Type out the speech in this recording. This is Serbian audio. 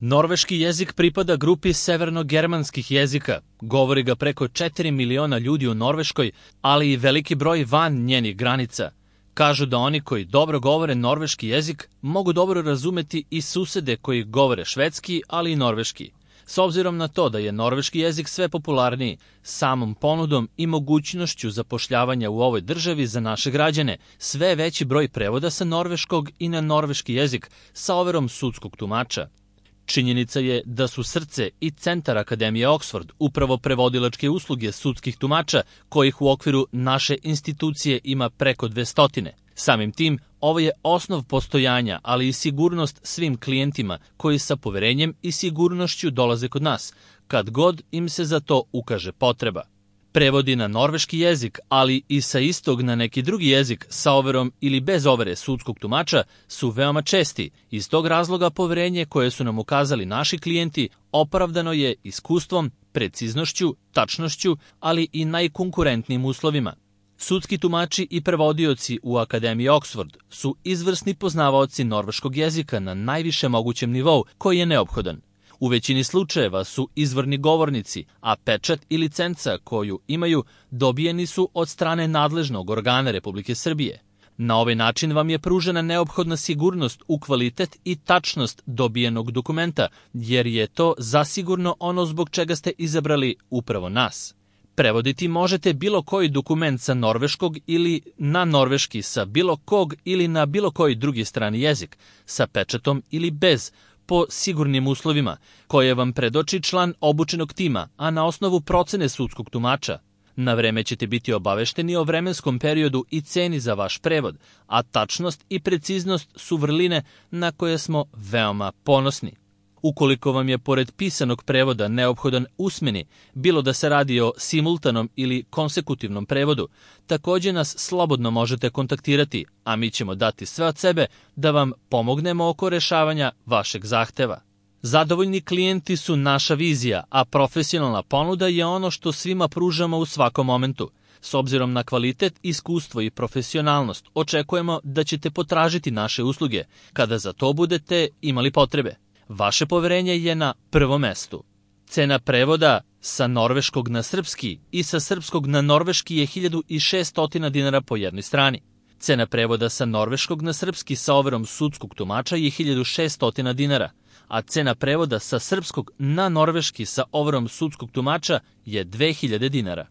Norveški jezik pripada grupi severno-germanskih jezika. Govori ga preko 4 miliona ljudi u Norveškoj, ali i veliki broj van njenih granica. Kažu da oni koji dobro govore norveški jezik mogu dobro razumeti i susede koji govore švedski, ali i norveški. S obzirom na to da je norveški jezik sve popularniji, samom ponudom i mogućnošću zapošljavanja u ovoj državi za naše građane, sve je veći broj prevoda sa norveškog i na norveški jezik sa overom sudskog tumača. Činjenica je da su srce i centar Akademije Oxford upravo prevodilačke usluge sudskih tumača, kojih u okviru naše institucije ima preko 200. Samim tim, ovo je osnov postojanja, ali i sigurnost svim klijentima koji sa poverenjem i sigurnošću dolaze kod nas, kad god im se za to ukaže potreba. Prevodi na norveški jezik, ali i sa istog na neki drugi jezik sa overom ili bez overe sudskog tumača su veoma česti. Iz tog razloga poverenje koje su nam ukazali naši klijenti opravdano je iskustvom, preciznošću, tačnošću, ali i najkonkurentnijim uslovima. Sudski tumači i prevodioci u Akademiji Oxford su izvrsni poznavaoci norveškog jezika na najvišem mogućem nivou koji je neophodan. U većini slučajeva su izvorni govornici, a pečat i licenca koju imaju dobijeni su od strane nadležnog organa Republike Srbije. Na ovaj način vam je pružena neophodna sigurnost u kvalitet i tačnost dobijenog dokumenta, jer je to zasigurno ono zbog čega ste izabrali upravo nas. Prevoditi možete bilo koji dokument sa norveškog ili na norveški sa bilo kog ili na bilo koji drugi strani jezik, sa pečatom ili bez, po sigurnim uslovima, koje vam predoči član obučenog tima, a na osnovu procene sudskog tumača. Na vreme ćete biti obavešteni o vremenskom periodu i ceni za vaš prevod, a tačnost i preciznost su vrline na koje smo veoma ponosni. Ukoliko vam je pored pisanog prevoda neophodan usmeni, bilo da se radi o simultanom ili konsekutivnom prevodu, takođe nas slobodno možete kontaktirati, a mi ćemo dati sve od sebe da vam pomognemo oko rešavanja vašeg zahteva. Zadovoljni klijenti su naša vizija, a profesionalna ponuda je ono što svima pružamo u svakom momentu. S obzirom na kvalitet, iskustvo i profesionalnost, očekujemo da ćete potražiti naše usluge kada za to budete imali potrebe. Vaše poverenje je na prvom mestu. Cena prevoda sa norveškog na srpski i sa srpskog na norveški je 1600 dinara po jednoj strani. Cena prevoda sa norveškog na srpski sa overom sudskog tumača je 1600 dinara, a cena prevoda sa srpskog na norveški sa overom sudskog tumača je 2000 dinara.